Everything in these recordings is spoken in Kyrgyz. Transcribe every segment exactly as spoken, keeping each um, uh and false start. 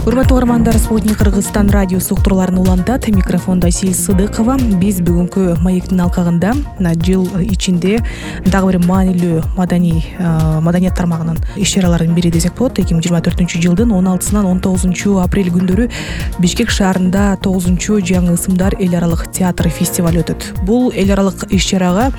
Урматтуу угармандар, Спутник Кыргызстан радиосу уктурууларын улантат. Микрофондо Асил Сыдыкова. Биз бүгүнкү маектин алкагында жыл ичинде дагы бир маанилүү маданий маданият тармагынын иш-чараларынын бири десек болот. эки миң жыйырма төртүнчү жылдын он алтысынан он тогузунчу апрель күндөрү Бишкек шаарында тогузунчу жаңы ысымдар эл аралык театр фестивалю өтөт. Бул эл аралык иш-чарага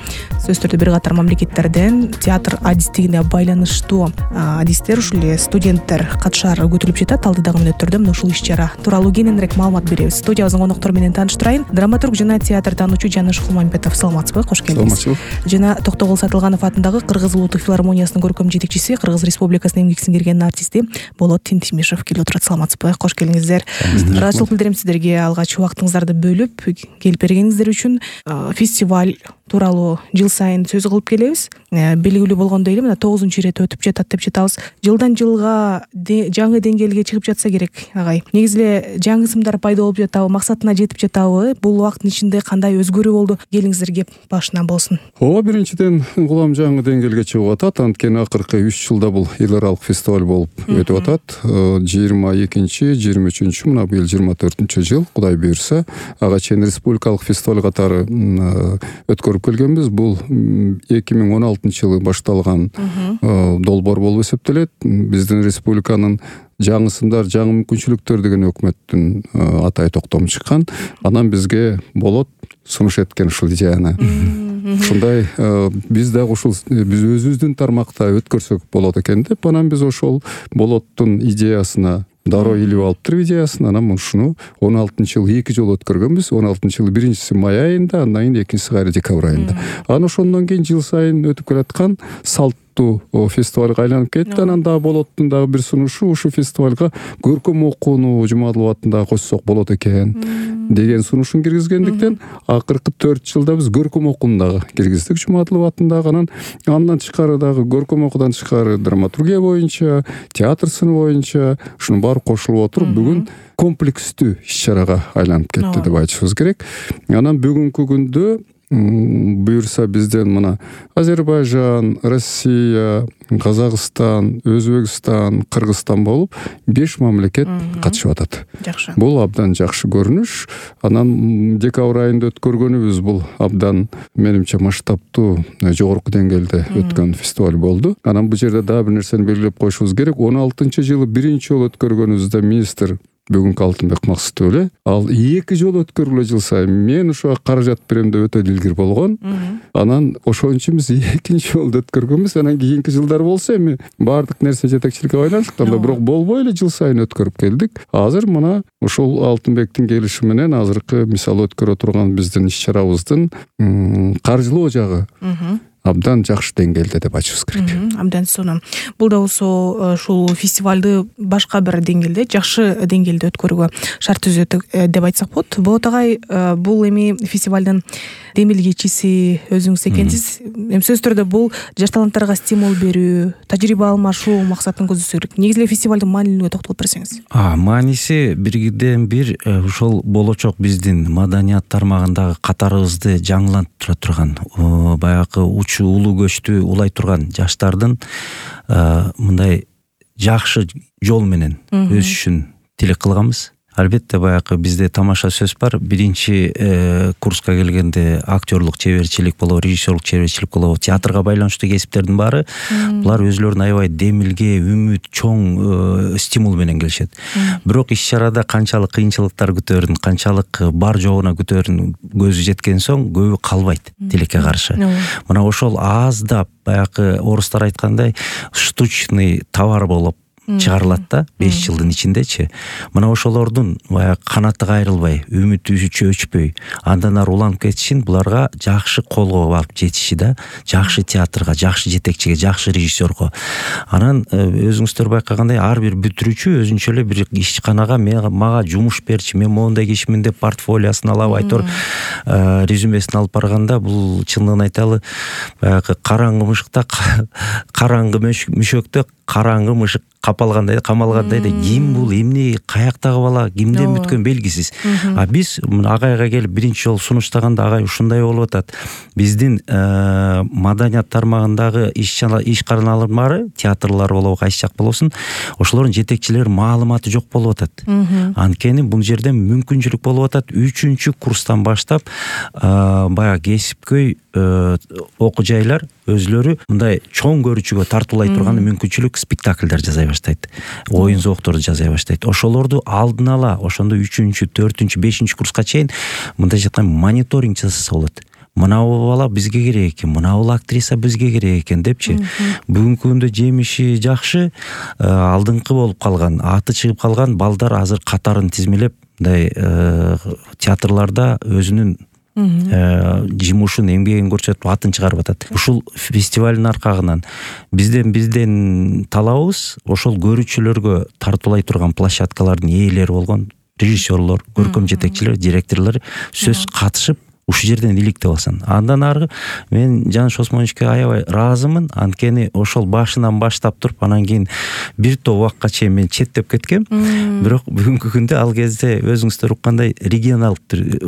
сөзсүз түрдө бир катар мамлекеттерден театр адистигине байланыштуу адистер, ушул эле студенттер катышаары күтүлүп жатат. Алдыдагы мүнөттөрдө мына ушул иш-чара тууралуу кененирээк маалымат беребиз. Студиябыздын коноктору менен тааныштырайын. Драматург жана театр таануучу Жаныш Кулмамбетов, саламатсызбы? Кош келдиңиз. Саламатчылык. Жана Токтогул Сатылганов атындагы Кыргыз улуттук филармониясынын көркөм жетекчиси, Кыргыз Республикасынын эмгек сиңирген артисти Болот Тинтимишев келип отурат. Саламатсызбы? Кош келиңиздер. Ыраазычылык билдирем сиздерге алгач убактыңыздарды бөлүп келип бергениңиздер үчүн. Фестиваль тууралуу жыл сайын сөз кылып келебиз. Белгилүү болгондой эле мына тогузунчу ирет өтүп жатат деп жатабыз. Жылдан жылга жаңы деңгээлге чыгып жатса керек, агай. Негизи эле жаңы ысымдар пайда болуп жатабы, максатына жетип жатабы? Бул убакыттын ичинде кандай өзгөрүү болду? Келиңиздер кеп башынан болсун. Ооба, биринчиден улам жаңы деңгээлге чыгып атат. Анткени акыркы үч жылда бул эл аралык фестиваль болуп өтүп атат. жыйырма экинчи, жыйырма үчүнчү, мына быйыл жыйырма төртүнчү жыл, Кудай буйрса, ага чейин республикалык фестиваль катары өткөрүп келгенбиз. Бул эки миң он алтынчы жылы башталган долбоор болуп эсептелет. Биздин республиканын жаңы ысымдар, жаңы мүмкүнчүлүктөр деген өкмөттүн атай токтому чыккан. Анан бизге болот сунуш эткен ушул идеяны. Ушундай биз дагы ушул биз өзүбүздүн тармакта өткөрсөк болот экен деп, анан биз ошол болоттун идеясына дароо илип алыптыр идеясын. Анан ушуну он алтынчы жылы эки жолу өткөргөнбүз. он алтынчы жылы биринчиси май айында, андан кийин экинчиси кайра декабрь айында. Анан ошондон кийин жыл сайын өтүп келаткан салттуу фестивалга айланып кетти. Анан дагы болоттун дагы бир сунушу ушу фестивалга көркөм окууну Жумадылов атында койсок болот экен деген сунушун киргизгендиктен акыркы төрт жылда биз көркөм окууну дагы киргиздик Жумадылов атындагы. Анан андан тышкары дагы көркөм окуудан тышкары драматургия боюнча, театр сыны боюнча ушунун баары кошулуп отуруп бүгүн комплекстүү иш-чарага айланып кетти деп айтышыбыз керек. Анан бүгүнкү күндө буюрса бизден мына Азербайжан, Россия, Казакстан, Өзбекстан, Кыргызстан болуп беш мамлекет катышып атат. Жакшы. Бул абдан жакшы көрүнүш. Анан декабрь айында өткөргөнүбүз бул абдан менимче масштабтуу, жогорку деңгээлде өткөн фестиваль болду. Анан бул жерде дагы бир нерсени белгилеп коюшубуз керек. он алтынчы жылы биринчи жолу өткөргөнүбүздө министр бүгүнкү Алтынбек Максутов эле ал эки жолу өткөргүлө жыл сайын мен ошого каражат берем деп өтө дилгир болгон. Анан ошон үчүн биз экинчи жолу өткөргөнбүз. Анан кийинки жылдар болсо эми баардык нерсе жетекчиликке байланыштыктан да бирок болбой эле жыл сайын өткөрүп келдик. Азыр мына ошол Алтынбектин келиши менен азыркы мисалы өткөрө турган биздин иш-чарабыздын каржылоо жагы абдан жакшы деңгээлде деп айтышыбыз керек. Абдан сонун. Бул да болсо ушул фестивалды башка бир деңгээлде, жакшы деңгээлде өткөрүүгө шарт түзөт деп айтсак болот. Болот агай, бул эми фестивалдын демилгечиси өзүңүз экенсиз. Эми сөзсүз түрдө бул жаш таланттарга стимул берүү, тажрыйба алмашуу максатын көздөсө керек. Негизи эле фестивалдын маанилүүгө токтолуп берсеңиз. А, мааниси бирден бир ушул болочок биздин маданият тармагындагы катарыбызды жаңылантыра турган, баягы улуу көчтү улай турган жаштардын мындай жакшы жол менен өсүшүн тилек кылганбыз. Албетте баягы бизде тамаша сөз бар. Биринчи курска келгенде актерлук чеберчилик болобу, режиссерлук чеберчилик болобу, театрга байланыштуу кесиптердин баары булар өзүлөрүнүн аябай демилге, үмүт, чоң стимул менен келишет. Бирок иш-чарада канчалык кыйынчылыктар күтөрүн, канчалык бар жоогуна күтөрүн көзү жеткен соң көбү калбайт тилекке каршы. Мына ошол аздап баягы орустар айткандай штучный товар болуп чыгарылат да беш жылдын ичиндечи. Мына ошолордун баягы канаты кайрылбай, үмүтү өчпөй, андан ары уланып кетишин буларга жакшы колго алып жетиши да, жакшы театрга, жакшы жетекчиге, жакшы режиссерго. Анан өзүңүздөр байкагандай ар бир бүтүрүүчү өзүнчө эле бир ишканага мага жумуш берчи, мен моундай кишимин деп портфолиосун алып айтор резюмесин алып барганда, бул чындыгын айталы баягы караңгы мышыкта, караңгы мөшөктө караңгы мышык капалгандай камалгандай да ким бул, эмне, каяктагы бала, кимден бүткөн белгисиз. А биз агайга келип биринчи жолу сунуштаганда агай ушундай болуп атат. Биздин маданият тармагындагы иш караналары, театрлар болобу, кайсы жак болобун, ошолордун жетекчилери маалыматы жок болуп атат. Анткени бул жерде мүмкүнчүлүк болуп атат. үчүнчү курстан баштап баягы кесипкөй окуу жайлар өзлөрү мындай чоң көрүүчүгө тартуулай турган мүмкүнчүлүк спектакльдер жасай баштайт. Оюн зоокторду жасай баштайт. Ошолорду алдын ала ошондо үчүнчү, төртүнчү, бешинчи курска чейин мындай жаткан мониторинг жасаса болот. Мынау бала бизге керек экен, мынау актриса бизге керек экен депчи. Бүгүнкү күндө жемиши жакшы, алдыңкы болуп калган, аты чыгып калган балдар азыр катарын тизмелеп мындай театрларда өзүнүн жумушун, эмгегин көрсөтүп атын чыгарып атат. Ушул фестивалдын аркагынан бизден бизден талабыбыз ошол көрүүчүлөргө тартуулай турган площадкалардын ээлери болгон режиссерлор, көркөм жетекчилер, директорлор сөз катышып ушул жерден иликтеп алсын. Андан аркы мен Жаныш Осмоновичке аябай ыраазымын. Анткени ошол башынан баштап туруп, анан кийин бир топ убакка чейин мен четтеп кеткем. Бирок бүгүнкү күндө ал кезде өзүңүздөр уккандай регионалдык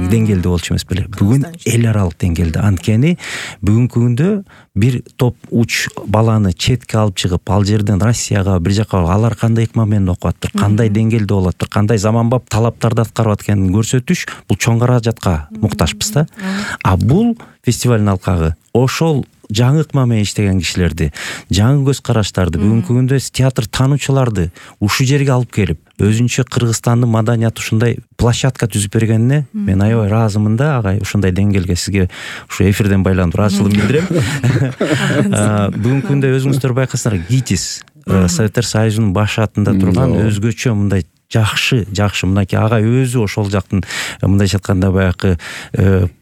деңгээлде болчу эмес беле. Бүгүн эл аралык деңгээлде. Анткени бүгүнкү күндө бир топ уч баланы четке алып чыгып, ал жерден Россияга, бир жака алар кандай ыкма менен окуп атыр, кандай деңгээлде болуп атыр, кандай заманбап талаптарды аткарып атканын көрсөтүш, бул чоң каражатка муктажбыз да. А бул фестивалдын алкагы ошол жаңы ыкма менен иштеген кишилерди, жаңы көз караштарды, бүгүнкү күндө театр таануучуларды ушул жерге алып келип, өзүнчө Кыргызстандын маданияты ушундай площадка түзүп бергенине мен аябай ыраазымын да, агай. Ушундай деңгээлге сизге ушу эфирден байланып ыраазычылыгымды билдирем. Бүгүнкү күндө өзүңүздөр байкасаңар, ГИТИС, Советтер Союзунун баш атында турган өзгөчө мындай жакшы, жакшы мынакей агай өзү ошол жактын мындайча айтканда баягы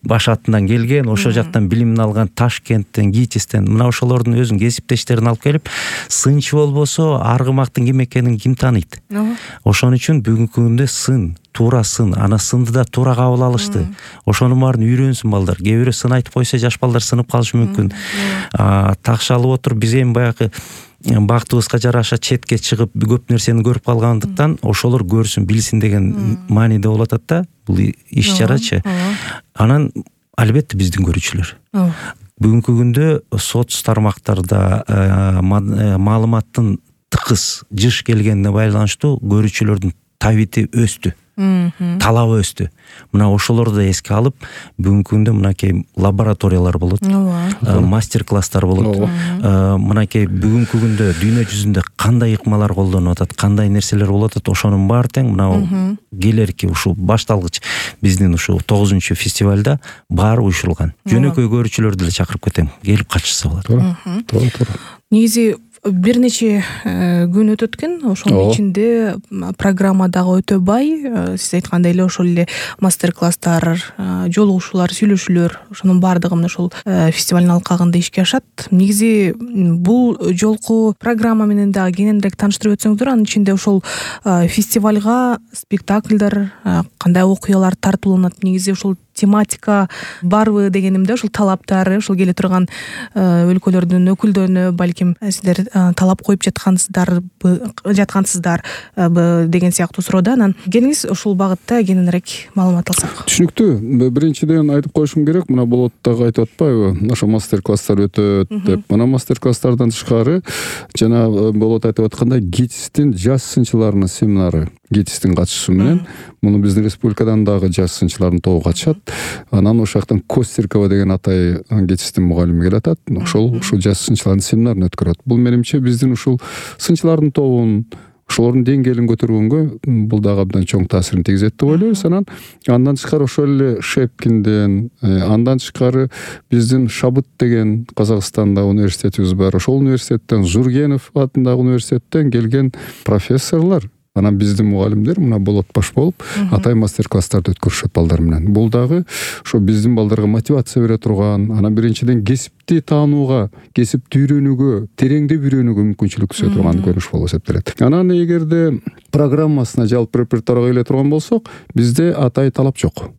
баш атынан келген, ошол жактан билимин алган, Ташкенттен, ГИТИСтен, мына ошолордун өзүнүн кесиптештерин алып келип, сынчы болбосо аргымактын ким экенин ким тааныйт? Ошон үчүн бүгүнкү күндө сын, туура сын, ана сынды да туура кабыл алышты. Ошонун баарын үйрөнсүн балдар. Кээ бирөө сын айтып койсо, жаш балдар сынып калышы мүмкүн. Такшалып отуруп биз эми баягы бактыбызга жараша четке чыгып көп нерсени көрүп калгандыктан ошолор көрсүн, билсин деген мааниде болуп атат да бул иш чарачы. Анан албетте биздин көрүүчүлөр. Бүгүнкү күндө соц тармактарда маалыматтын тыкыз жыш келгенине байланыштуу көрүүчүлөрдүн табити өстү. Талабы өстү. Мына ошолорду эске алып, бүгүнкү күндө мынакей лабораториялар болот, мастер-класстар болот. Мынакей бүгүнкү күндө дүйнө жүзүндө кандай ыкмалар колдонуп атат, кандай нерселер болуп атат, ошонун баары тең мына келерки ушул башталгыч биздин ушул тогузунчу фестивалда баары уюшулган. Жөнөкөй көрүүчүлөрдү деле чакырып кетем, келип катышса болот. Туура, туура. Негизи бир нече күн өтөт экен, ошонун ичинде программа дагы өтө бай. Сиз айткандай эле ошол эле мастер-класстар, жолугушуулар, сүйлөшүүлөр, ошонун баардыгы мына ошол фестивалдын алкагында ишке ашат. Негизи бул жолку программа менен дагы кененирээк тааныштырып өтсөңүздөр, анын ичинде ошол фестивалга спектакльдар, кандай окуялар тартууланат, негизи ошол тематика барбы дегенимде, ошол талаптары, ошол келе турган өлкөлөрдүн өкүлдөрүнө балким сиздер талап коюп жаткансыздар жаткансыздар деген сыяктуу суроода. Анан келиңиз ушул багытта кененирээк маалымат алсак. Түшүнүктүү. Биринчиден айтып коюшум керек, мына болот дагы айтып атпайбы, ошо мастер-класстар өтөт деп. Мына мастер-класстардан тышкары жана болот айтып аткандай ГИТИСтин жаш сынчыларынын семинары, ГИТИСтин катышуусу менен муну биздин республикадан дагы жаш сынчылардын тобу катышат. Анан ошол жактан Костеркова деген атай ГИТИСтин мугалими келатат. Ошол ушул жаш сынчылардын семинарын өткөрөт. Бул менимче биздин ушул сынчылардын тобун, ошолордун деңгээлин көтөргөнгө бул дагы абдан чоң таасирин тийгизет деп ойлойбуз. Анан андан тышкары ошол эле Шепкинден, андан тышкары биздин Шабыт деген Казакстанда университетибиз бар. Ошол университеттен, Жургенов атындагы университеттен келген профессорлор, анан биздин мугалимдер мына болот баш болуп атай мастер-класстарды өткөрүшөт балдар менен. Бул дагы ошо биздин балдарга мотивация бере турган, анан биринчиден кесип кесипти таанууга, кесипти үйрөнүүгө, тереңдеп үйрөнүүгө мүмкүнчүлүк түзө турган көрүнүш болуп эсептелет. Анан эгерде программасына жалпы репертуарга келе турган болсок, бизде атай талап жок.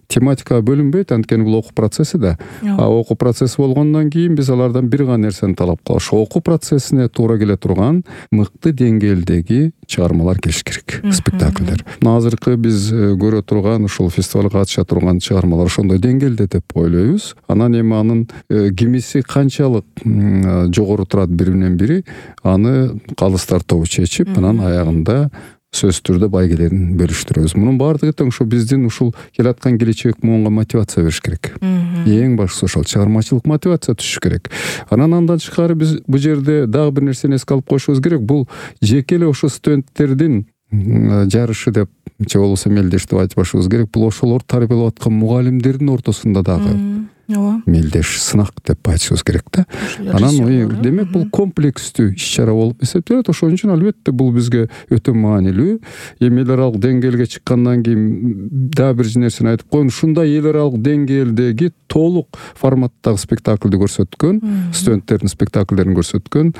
Тематикага бөлүнбөйт, анткени бул окуу процесси да. А окуу процесси болгондон кийин биз алардан бир гана нерсени талап кылабыз. Окуу процессине туура келе турган мыкты деңгээлдеги чыгармалар келиш керек, спектакльдер. Азыркы биз көрө турган ушул фестивалга катыша турган чыгармалар ошондой деңгээлде деп ойлойбуз. Анан эми анын кимиси канчалык жогору турат биринен бири, аны калыстар тобу чечип, анан аягында сөзсүз түрдө байгелерин бөлүштүрөбүз. Мунун баардыгы тең ушул биздин ушул келаткан келечек муунга мотивация бериш керек. Эң башкысы ошол чыгармачылык мотивация түшүш керек. Анан андан тышкары биз бул жерде дагы бир нерсени эске алып коюшубуз керек. Бул жеке эле ошо студенттердин жарышы деп же болбосо мелдеш деп айтпашыбыз керек. Бул ошолор тарбиялап аткан мугалимдердин ортосунда дагы ооба мелдеш сынак деп айтышыбыз керек да. Анан демек бул комплекстүү иш-чара болуп эсептелет. Ошон үчүн албетте бул бизге өтө маанилүү. Эми эл аралык деңгээлге чыккандан кийин дагы бир нерсени айтып коеюн. Ушундай эл аралык деңгээлдеги толук форматтагы спектакльди көрсөткөн, студенттердин спектакльдерин көрсөткөн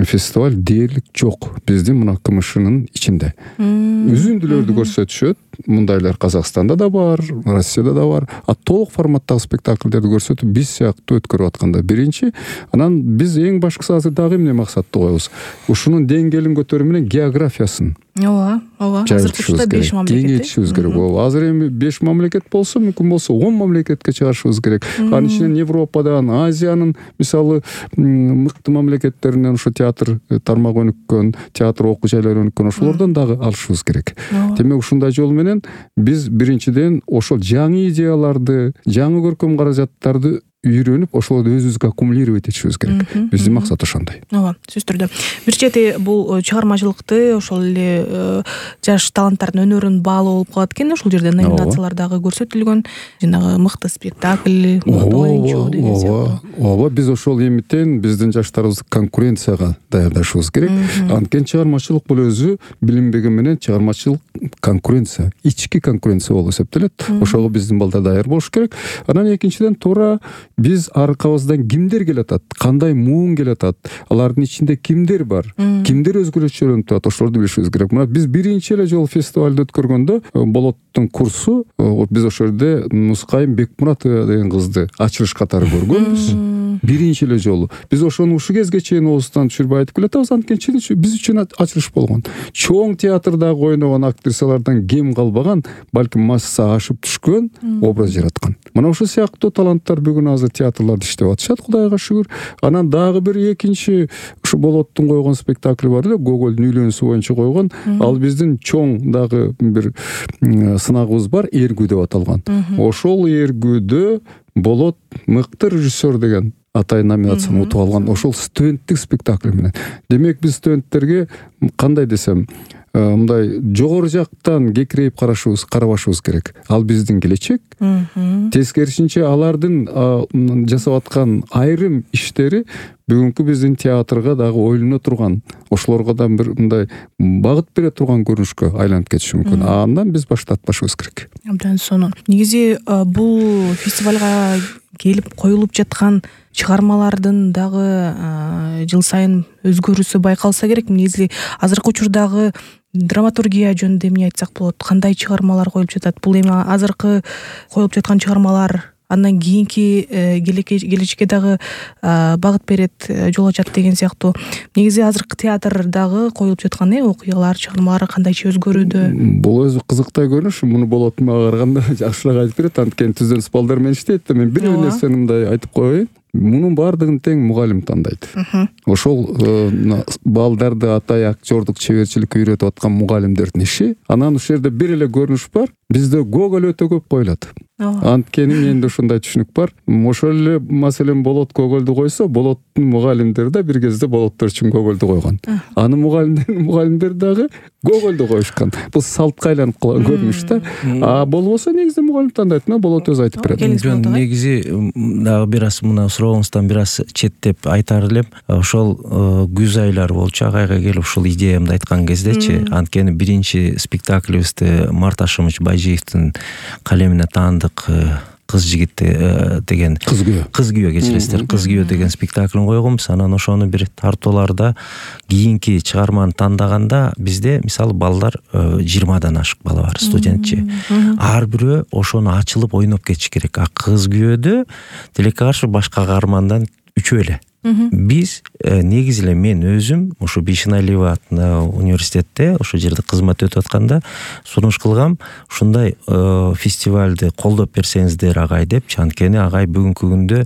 фестиваль дээрлик жок биздин мына КМШнын ичинде. Үзүндүлөрдү көрсөтүшөт. Мындайлар Казакстанда да бар, Россияда да бар. А толук форматтагы спектакльдерди көрсөтүп биз сыяктуу өткөрүп атканда биринчи, анан биз эң башкысы азыр дагы эмне максатты коебуз? Ушунун деңгээлин көтөрүү менен географиясын ооба, ооба. Азыркы учурда беш мамлекет. Кеңейтишибиз керек. Ооба. Азыр эми беш мамлекет болсо, мүмкүн болсо он мамлекетке чыгарышыбыз керек. Анын ичинен Европадан, Азиянын мисалы мыкты мамлекеттеринен ошо театр тармагы өнүккөн, театр окуу жайлары өнүккөн ошолордон дагы алышыбыз керек. Демек ушундай жол менен биз биринчиден ошол жаңы идеяларды, жаңы көркөм каражаттарды үйрөнүп, ошолорду өзүбүзгө аккумулировать этишибиз керек. Биздин максат ошондой. Ооба, сөзсүз түрдө. Бир чети бул чыгармачылыкты ошол эле жаш таланттардын өнөрүн баалоо болуп калат экен. Ошол жерде номинациялар дагы көрсөтүлгөн. Жанагы мыкты спектакль, мыкты оюнчу деген сыяктуу. Ооба, биз ошол эмитен биздин жаштарыбызды конкуренцияга даярдашыбыз керек. Анткени чыгармачылык бул өзү билинбеген менен чыгармачылык конкуренция, ички конкуренция болуп эсептелет. Ошого биздин балдар даяр болуш керек. Анан экинчиден туура биз аркабыздан кимдер келатат, кандай муун келатат, алардын ичинде кимдер бар, кимдер өзгөчөлөнүп турат, ошолорду билишибиз керек. Мына биз биринчи эле жолу фестивалды өткөргөндө Болоттун курсу, биз ошол жерде Нускайым Бекмуратова деген кызды ачылыш катары көргөнбүз. Биринчи эле жолу. Биз ошону ушул кезге чейин оозунан түшүрбөй айтып келатабыз, анткени биз үчүн ачылыш болгон. Чоң театрдагы ойногон актрисалардан кем калбаган, балким масса ашып түшкөн образ жараткан. Мына ушул сыяктуу таланттар бүгүн азыр театрларда иштеп атышат, Кудайга шүгүр. Анан дагы бир экинчи ушу Болоттун койгон спектакли бар эле, Гогольдун үйлөнүүсү боюнча койгон. Ал биздин чоң дагы бир сынагыбыз бар, Эргүү деп аталган. Ошол Эргүүдө Болот мыкты режиссер деген атай номинацияны утуп алган. Ошол студенттик спектакль менен. Демек биз студенттерге кандай десем, мындай жогору жактан кекирейип карашыбыз, карабашыбыз керек. Ал биздин келечек. Тескерисинче алардын жасап аткан айрым иштери бүгүнкү биздин театрга дагы ойлоно турган, ошолорго да бир мындай багыт бере турган көрүнүшкө айланып кетиши мүмкүн. Андан биз баштатпашыбыз керек. Абдан сонун. Негизи бул фестивалга келип коюлуп жаткан чыгармалардын дагы жыл сайын өзгөрүүсү байкалса керек. Негизи азыркы учурдагы драматургия жөнүндө эмне айтсак болот? Кандай чыгармалар коюлуп жатат? Бул эми азыркы коюлуп жаткан чыгармалар андан кийинки келечекке дагы багыт берет, жол ачат деген сыяктуу. Негизи азыркы театрдагы коюлуп жаткан окуялар, чыгармалар кандайча өзгөрүүдө? Бул өзү кызыктай көрүнүш. Муну Болот мага караганда жакшыраак айтып берет, анткени түздөн балдар менен иштейт. Мен бир нерсени мындай айтып коеюн. Мунун баардыгын тең мугалим тандайт. Ошол балдарды атай актёрдук чеберчиликке үйрөтүп аткан мугалимдердин иши. Анан ушул жерде бир эле көрүнүш бар. Бизде Гоголь өтө көп коюлат. Анткени менде ушундай түшүнүк бар. Ошол эле маселен Болот Гогольду койсо, Болоттун мугалимдери да бир кезде Болоттор үчүн Гогольду койгон. Анын мугалимдердин мугалимдери дагы Гогольду коюшкан. Бул салтка айланып калган көрүнүш да. А болбосо негизи мугалим тандайт. Мына Болот өзү айтып берет. Негизи дагы бир аз мына суроогуңуздан бир аз четтеп айтар элем. Ошол күз айлары болчу, агайга келип ушул идеямды айткан кездечи, анткени биринчи спектаклибизди Март Ашымович Байжиевдин калемине таандык кыз жигит деген кыз күйөө кыз күйөө кечиресиздер кыз күйөө деген спектаклин койгонбуз. Анан ошону бир тартууларда кийинки чыгарманы тандаганда бизде мисалы балдар жыйырмадан ашык бала бар, студентчи. Ар бирөө ошону ачылып ойноп кетиш керек. А кыз күйөөдө тилекке каршы башка каармандан үчөө эле. Биз негизи эле мен өзүм ушу Бишеналиева атындагы университетте ошол жерде кызмат өтүп атканда сунуш кылгам, ушундай фестивалды колдоп берсеңиздер агай деп. Анткени агай бүгүнкү күндө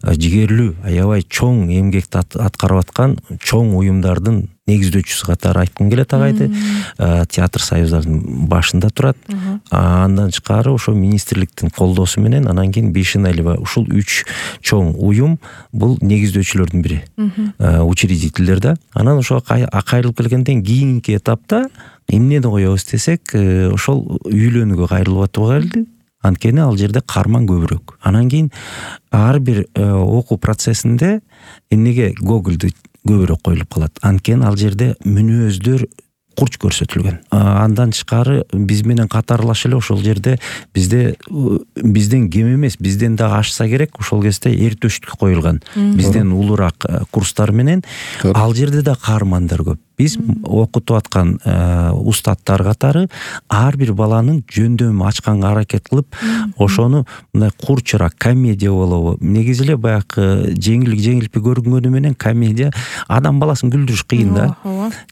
жигерлүү, аябай чоң эмгекти аткарып аткан чоң уюмдардын негиздөөчүсү катары айткым келет агайды. Театр союздардын башында турат. Андан тышкары ошо министрликтин колдоосу менен анан кийин Бишеналиева ушул үч чоң уюм бул негиздөөчүлөрдүн бири. Учредительдер да. Анан ошого кайрылып келгенден кийинки этапта эмнени коебуз десек, ошол үйлөнүүгө кайрылып атуу келди. Анткени ал жерде каарман көбүрөөк. Анан кийин ар бир окуу процессинде эмнеге Гогольду көбүрөөк коюлуп калат. Анткени ал жерде мүнөздөр курч көрсөтүлгөн. Андан тышкары биз менен катарлаш эле ошол жерде бизде бизден кем эмес, бизден дагы ашса керек, ошол кезде эртөштүк коюлган. Бизден улураак курстар менен ал жерде да каармандар көп. Биз окутуп аткан устаттар катары ар бир баланын жөндөмүн ачканга аракет кылып, ошону мындай курчураак комедия болобу. Негизи эле баягы жеңилик жеңилпи көрүнгөнү менен комедия адам баласын күлдүрүш кыйын да.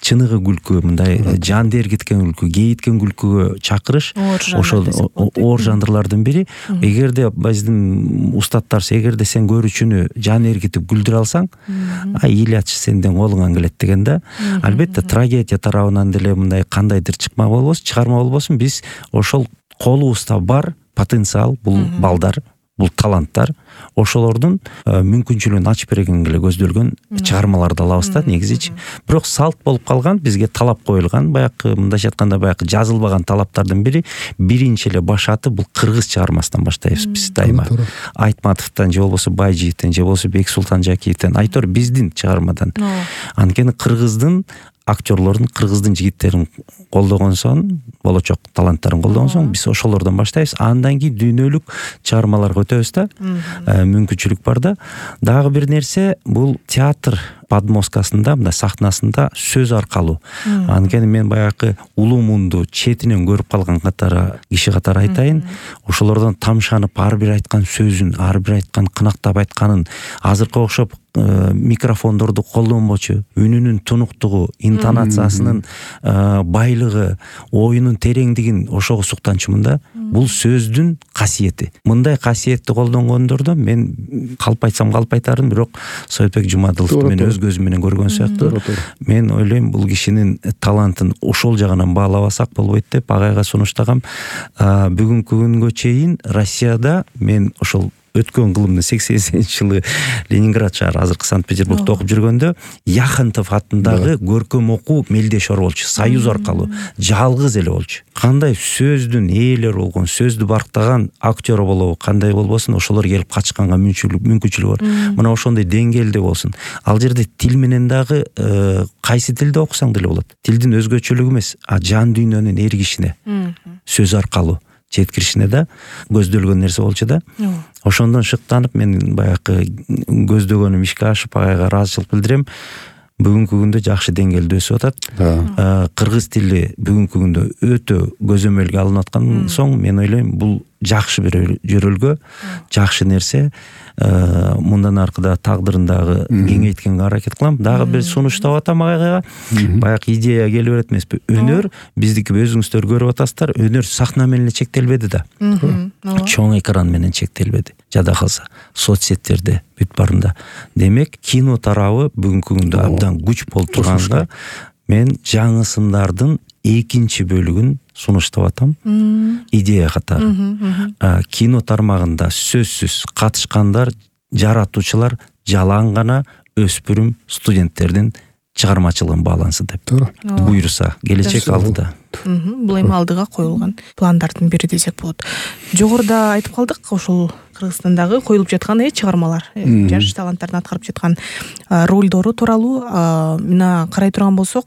Чыныгы күлкү, мындай жан дергиткен күлкү, кейиткен күлкүгө чакырыш ошол оор жанрлардын бири. Эгерде биздин устаттар эгерде сен көрүүчүнү жан эргитип күлдүрө алсаң, а Ильяч сенден колуңан келет деген да. Албетте трагедия тарабынан деле мындай кандайдыр чыкма болбосун, чыгарма болбосун, биз ошол колубузда бар потенциал, бул балдар, бул таланттар, ошолордун мүмкүнчүлүгүн ачып бергенге эле көздөлгөн чыгармаларды алабыз да негизичи. Бирок салт болуп калган, бизге талап коюлган, баягы мындайча айтканда баягы жазылбаган талаптардын бири биринчи эле башаты бул кыргыз чыгармасынан баштайбыз биз дайыма. Айтматовдон же болбосо Байжиевден же болбосо Бексултан Жакиевден, айтор биздин чыгармадан. Анткени кыргыздын актерлордун, кыргыздын жигиттерин колдогон соң, болочок таланттарын колдогон соң биз ошолордон баштайбыз. Андан кийин дүйнөлүк чыгармаларга өтөбүз да. Мүмкүнчүлүк бар да. Дагы бир нерсе, бул театр подмосткасында, мындай сахнасында сөз аркалуу. Анткени мен баягы улуу мунду четинен көрүп калган катары киши катары айтайын, ошолордон тамшанып ар бир айткан сөзүн, ар бир айткан кынактап айтканын азыркы окшоп микрофондорду колдонбочу, үнүнүн тунуктугу, интонациясынын байлыгы, оюнун тереңдигин ошого суктанчумун да. Бул сөздүн касиети. Мындай касиетти колдонгондордон мен калп айтсам калп айтарым, бирок Советбек Жумадыловду мен өз көзүм менен көргөн сыяктуу. Мен ойлойм, бул кишинин талантын ошол жагынан баалабасак болбойт деп агайга сунуштагам. Бүгүнкү күнгө чейин Россияда мен ошол өткөн кылымдын сексенинчи жылы Ленинград шаары, азыркы Санкт-Петербургда окуп жүргөндө Яхонтов атындагы көркөм окуу мелдешор болчу, союз аркылуу, жалгыз эле болчу. Кандай сөздүн ээлери болгон, сөздү барктаган актер болобу, кандай болбосун, ошолор келип катышканга мүмкүнчүлүгү бар. Мына ошондой деңгээлде болсун. Ал жерде тил менен дагы кайсы тилде окусаң деле болот. Тилдин өзгөчөлүгү эмес, а жан дүйнөнүн эргишине, сөз аркылуу жеткиришине да көздөлгөн нерсе болчу да. Ошондон шыктанып мен баягы көздөгөнүм ишке ашып агайга ыраазычылык билдирем. Бүгүнкү күндө жакшы деңгээлде өсүп атат. Кыргыз тили бүгүнкү күндө өтө көзөмөлгө алынып аткан соң мен ойлойм, бул жакшы бир жөрөлгө, жакшы нерсе. Мындан аркыда тагдырындагы кеңейткенге аракет кылам. Дагы бир сунуштап атам агайга. Баягы идея келип берет эмеспи? Өнөр, биздики өзүңүздөр көрүп атасыздар, өнөр сахна менен чектелбеди да. Чоң экран менен чектелбеди. Жада калса, соцсеттерде бүт барында. Демек, кино тарабы бүгүнкү күндө абдан күч болуп турганга мен жаңы сындардын экинчи бөлүгүн сунуштап атам. Идея катары. Кино тармагында сөзсүз катышкандар, жаратуучулар жалаң гана өспүрүм студенттердин чыгармачылыгын баалансын деп буйруса, келечек алдыда. Бул эми алдыга коюлган пландардын бири десек болот. Жогоруда айтып калдык, ошол Кыргызстандагы коюлуп жаткан э чыгармалар, жаш таланттардын аткарып жаткан ролдору тууралуу мына карай турган болсок,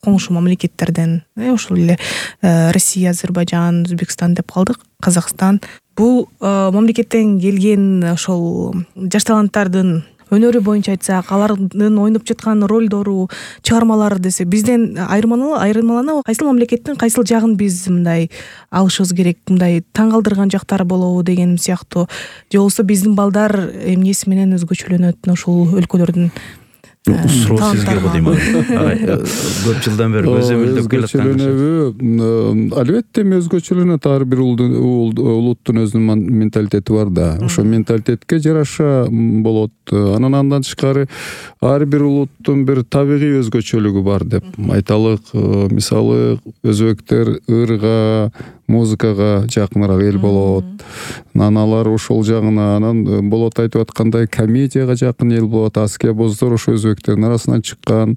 коңшу мамлекеттерден, ошол эле Россия, Азербайжан, Өзбекстан деп калдык, Казакстан бул мамлекеттен келген ошол жаш таланттардын өнөрү боюнча айтсак, алардын ойноп жаткан ролдору, чыгармалары десе, бизден айырмаланабы? Кайсыл мамлекеттин кайсыл жагын биз мындай алышыбыз керек, мындай таң калтырган жактары болобу деген сыяктуу, же болбосо биздин балдар эмнеси менен өзгөчөлөнөт ушул өлкөлөрдүн? Суроо сизге го дейм. Көп жылдан бери көзөмөлдөп келаткан. Албетте өзгөчөлөнөт, ар бир улуттун өзүнүн менталитети бар да. Ошо менталитетке жараша болот. Анан андан тышкары ар бир улуттун бир табигый өзгөчөлүгү бар деп айталык. Мисалы, өзбектер ырга, музыкага жакыныраак эл болот. Аналар ошол жагына, анан болот айтып аткандай комедияга жакын эл болот. Аския боздор ошо өзбектердин арасынан чыккан.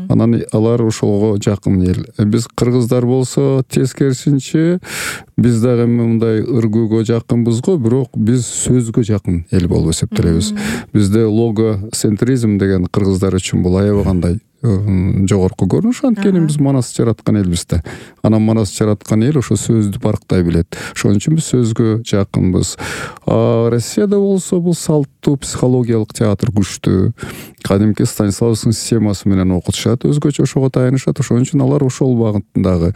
Анан алар ошого жакын эл. Биз кыргыздар болсо тескерисинче, биз дагы мындай ыргүүгө жакынбыз го, бирок биз сөзгө жакын эл болуп эсептелебиз. Бизде логоцентризм деген кыргыздар үчүн бул аябагандай жогорку көрүнүш. Анткени биз манас жараткан элбиз да. Анан манас жараткан эл ошо сөздү барктай билет. Ошон үчүн биз сөзгө жакынбыз. Россияда болсо бул салттуу психологиялык театр күчтүү. Кадимки Станиславский системасы менен окутушат, өзгөчө ошого таянышат. Ошон үчүн алар ошол багыттагы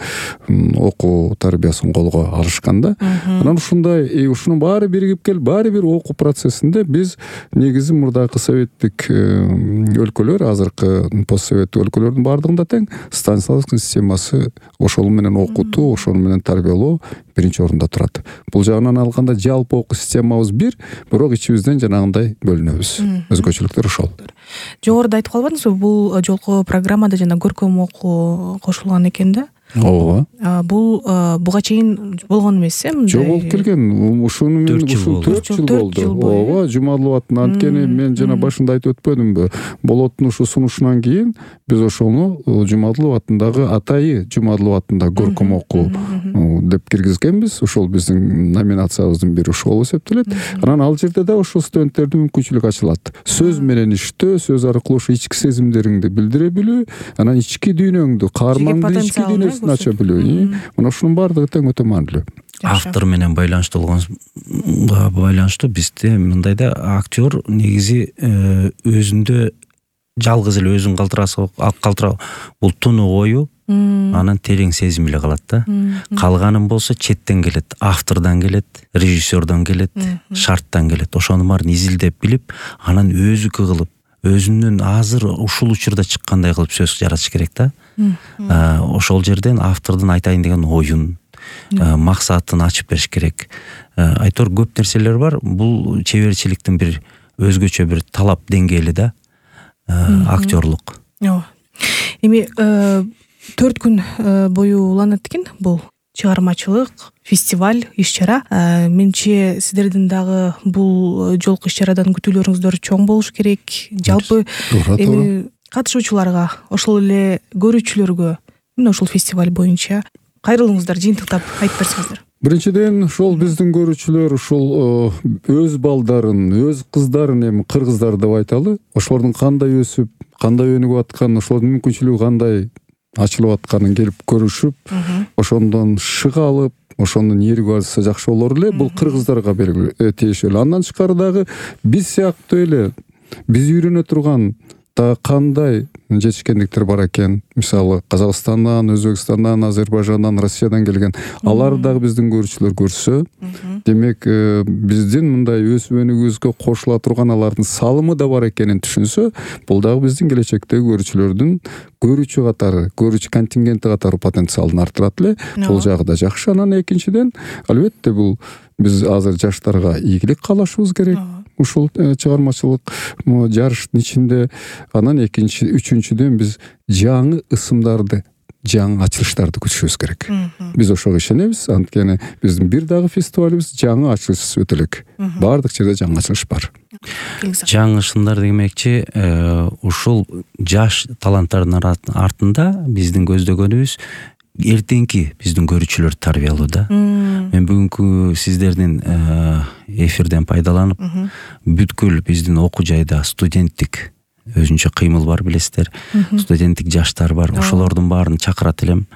окуу тарбиясын колго алышкан да. Анан ушундай, ушунун баары биригип келип, баары бир окуу процессинде биз негизи мурдагы советтик өлкөлөр, азыркы постсоветтик өлкөлөрдүн баардыгында тең Станиславский системасы ошол менен окутуу, ошол менен тарбиялоо биринчи орунда турат. Бул жагынан алганда жалпы окуу системабыз бир, бирок ичибизден жанагындай бөлүнөбүз. Өзгөчөлүктөр ошол. Жогоруда айтып калбадыңызбы, бул жолку программада жана көркөм окуу кошулган экен да? Ооба. Бул буга чейин болгон эмес э? Жок, болуп келген. Ушуну мен ушул төрт жыл болду. Ооба, Жумадыловаттын. Анткени мен жана башында айтып өтпөдүмбү? Болоттун ушу сунушунан кийин биз ошону Жумадылов атындагы Атайы Жумадылов атындагы көркөм окуу деп киргизгенбиз. Ошол биздин номинациябыздын бири ошол болуп эсептелет. Анан ал жерде да ошол студенттердин мүмкүнчүлүгү ачылат. Сөз менен иштөө, сөз аркылуу ошо ички сезимдериңди билдире билүү, анан ички дүйнөңдү, каармандын ички дүйнөсүн ача билүү. Мына ушунун баардыгы тең өтө маанилүү. Автор менен байланыштуу болгонга байланыштуу бизде мындай да, актер негизи өзүндө жалгыз эле өзүн калтырасы калтырабы, бул туну ою, анан терең сезим эле калат да. Калганын болсо четтен келет, автордон келет, режиссердон келет, шарттан келет. Ошонун баарын изилдеп билип, анан өзүкү кылып, өзүнүн азыр ушул учурда чыккандай кылып сөз жаратыш керек да. Ошол жерден автордун айтайын деген оюн, максатын ачып бериш керек. Айтор көп нерселер бар. Бул чеберчиликтин бир өзгөчө бир талап деңгээли да, актерлук. Эми төрт күн бою уланат экен бул чыгармачылык, фестиваль, иш-чара. Менимче сиздердин дагы бул жолку иш-чарадан күтүүлөрүңүздөр чоң болуш керек. Жалпы эми катышуучуларга, ошол эле көрүүчүлөргө мына ушул фестиваль боюнча кайрылыңыздар, жыйынтыктап айтып берсеңиздер. Биринчиден, ошол биздин көрүүчүлөр ушул өз балдарын, өз кыздарын, эми кыргыздар деп айталы, ошолордун кандай өсүп, кандай өнүгүп атканын, ошолордун мүмкүнчүлүгү кандай ачылып атканын келип көрүшүп, ошондон шык алып, ошондон ийригип алса жакшы болор эле. Бул кыргыздарга тиешелүү. Андан тышкары дагы биз сыяктуу эле биз үйрөнө турган да кандай жетишкендиктер бар экен. Мисалы, Казакстандан, Өзбекстандан, Азербайжандан, Россиядан келген. Алар дагы биздин көрүүчүлөр көрсө, демек биздин мындай өсүп өнүгүүбүзгө кошула турган алардын салымы да бар экенин түшүнсө, бул дагы биздин келечектеги көрүүчүлөрдүн көрүүчү катары, көрүүчү контингенти катары потенциалын арттырат эле. Бул жагы да жакшы. Анан экинчиден, албетте бул биз азыр жаштарга ийгилик каалашыбыз керек. Ушул чыгармачылык жарыштын ичинде. Анан экинчи, үчүнчүдөн биз жаңы ысымдарды, жаңы ачылыштарды күтүшүбүз керек. Биз ошого ишенебиз. Анткени биздин бир дагы фестивалыбыз жаңы ачылышсыз өтө элек. Баардык жерде жаңы ачылыш бар. Жаңы ышымдар демекчи, ушул жаш таланттардын артында биздин көздөгөнүбүз эртеңки биздин көрүүчүлөрдү тарбиялоо да. Мен бүгүнкү сиздердин эфирден пайдаланып, бүткүл биздин окуу жайда студенттик өзүнчө кыймыл бар, билесиздер. Студенттик жаштар бар. Ошолордун баарын чакырат элем.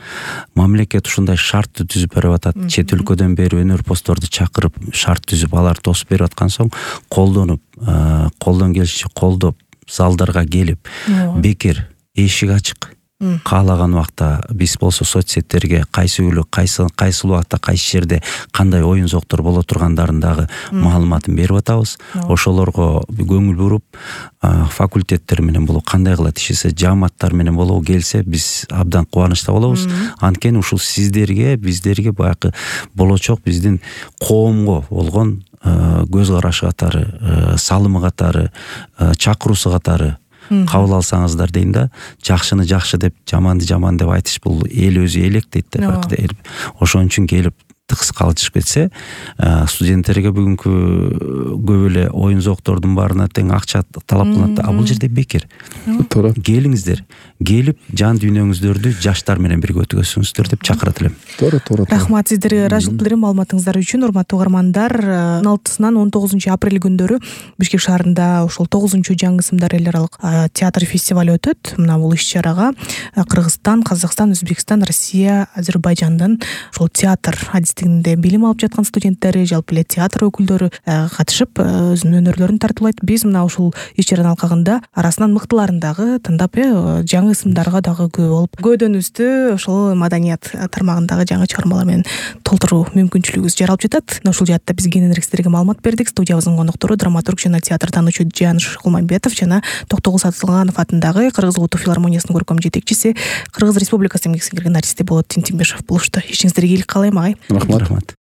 Мамлекет ушундай шартты түзүп берип атат. Чет өлкөдөн бери өнөрпоздорду чакырып, шарт түзүп, алар тосуп берип аткан соң колдонуп, колдон келишинче колдоп, залдарга келип, бекер, эшик ачык. Каалаган убакта биз болсо соцсеттерге кайсы күнү, кайсы кайсы убакта, кайсы жерде кандай оюн зоктор боло тургандарын дагы маалыматын берип атабыз. Ошолорго көңүл буруп, факультеттер менен болобу, кандай кылат ишесе, жааматтар менен болобу келсе, биз абдан кубанычта болобуз. Анткени ушул сиздерге, биздерге баягы болочок биздин коомго болгон көз карашы катары, салымы катары, чакыруусу катары кабыл алсаңыздар дейм да. Жакшыны жакшы деп, жаманды жаман деп айтыш бул эл өзү элек дейт да. Ошон үчүн келип тыкс калышып кетсе, студенттерге бүгүнкү көп эле оюн зоктордун баарына тең акча талап кылынат да. А бул жерде бекер. Туура. Келиңиздер, келип жан дүйнөңүздөрдү жаштар менен бирге өткөзүңүздөр деп чакырат элем. Туура, туура. Рахмат сиздерге Ражил Билерим маалыматыңыздар үчүн. Урматтуу угармандар, он алтысынан он тогузунчу апрель күндөрү Бишкек шаарында ошол тогузунчу жаңы ысымдар эл аралык театр фестивалю өтөт. Мына бул иш-чарага Кыргызстан, Казакстан, Өзбекстан, Россия, Азербайжандын ошол театр адистигинде билим алып жаткан студенттери, жалпы эле театр өкүлдөрү катышып, өзүнүн өнөрлөрүн тартуулайт. Биз мына ушул иш-чаранын алкагында арасынан мыктыларын дагы тандап, жаңы ысымдарга дагы күбө болуп, көйдөнүбүздү ошол маданият тармагындагы жаңы чыгармалар менен толтуруу мүмкүнчүлүгүбүз жаралып жатат. Ушул жаатта биз кененирээк сиздерге маалымат бердик. Студиябыздын коноктору драматург жана театр таануучу Жаныш Кулмамбетов жана Токтогул Сатылганов атындагы Кыргыз улуттук филармониясынын көркөм жетекчиси, Кыргыз Республикасы эмгек сиңирген артисти Болот Тинтимбешов болушту. Ишиңиздерге ийгилик каалайм, агай. Рахмат.